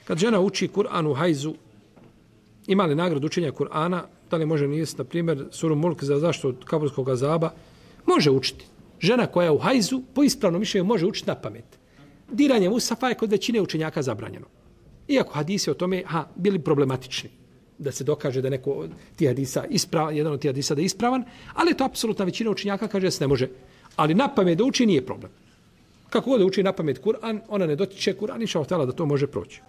Kad žena uči Kur'an u hajzu, ima li nagradu učenja Kur'ana, da li može nijesti, na primjer, suru Mulk za zaštitu od kaburskog azaba, može učiti. Žena koja je u hajzu, po ispravnom mišljenju, može učiti na pamet. Diranje musafa je kod većine učenjaka zabranjeno. Iako hadisi o tome bili problematični, da se dokaže da neko od tih hadisa jedan od tih hadisa da je ispravan, ali to apsolutna većina učenjaka kaže da se ne može. Ali na pamet da uči nije problem. Kako god da uči na pamet Kur'an, ona ne dotiče Kur'an, inša Allah da to može proći.